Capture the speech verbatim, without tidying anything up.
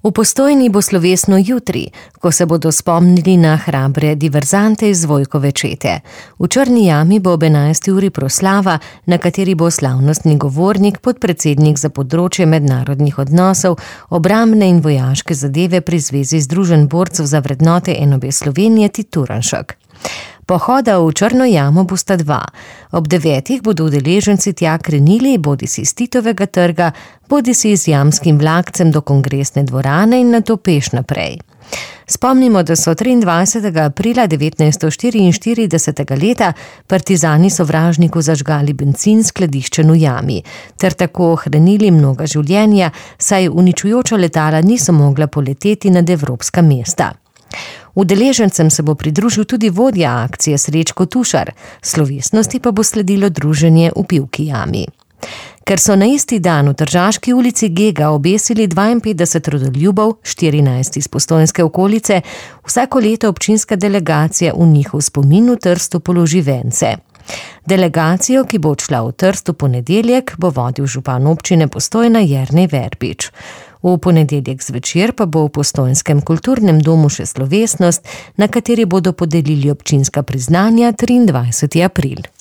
V Postojni bo slovesno jutri, ko se bodo spomnili na hrabre diverzante iz Vojkove čete. V Črni jami bo ob enajsti uri proslava, na kateri bo slavnostni govornik, podpredsednik za področje mednarodnih odnosov, obrambne in vojaške zadeve pri Zvezi združenj borcev za vrednote en obe Slovenije Tit Turnšek. Pohoda v Črno jamo bosta dva. Ob devetih bodo udeleženci tja krenili bodisi s Titovega trga, bodisi z jamskim vlakcem do kongresne dvorane in nato peš naprej. Spomnimo, da so triindvajsetega aprila devetnajststo štiriinštiridesetega leta partizani sovražniku zažgali bencin skladiščen v jami, ter tako ohranili mnoga življenja, saj uničujoča letala niso mogla poleteti nad evropska mesta. Udeležencem se bo pridružil tudi vodja akcije Srečko Tušar, slovesnosti pa bo sledilo druženje v Pivki jami. Ker so na isti dan v Tržaški ulici Gega obesili dvainpetdeset rodoljubov, štirinajst iz postojnske okolice, vsako leto občinska delegacija v njihov spomin v Trstu položi vence. Delegacijo, ki bo odšla v Trst v ponedeljek, bo vodil župan občine Postojna Jernej Verbič. V ponedeljek zvečer pa bo v postojnskem kulturnem domu še slovesnost, na kateri bodo podelili občinska priznanja triindvajseti april.